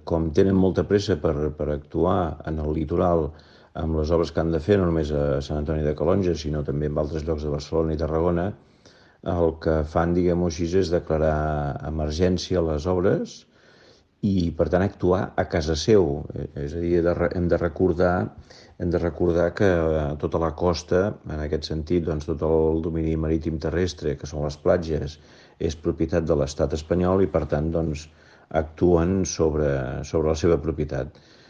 com tenen molta pressa per actuar en el litoral amb les obres que han de fer, no només a Sant Antoni de Calonge, sinó també en altres llocs de Barcelona i Tarragona, el que fan, diguem-ho així, és declarar emergència les obres i, per tant, actuar a casa seu. És a dir, hem de recordar que tota la costa, en aquest sentit, doncs, tot el domini marítim terrestre, que són les platges, és propietat de l'estat espanyol i, per tant, doncs, actuen sobre la seva propietat.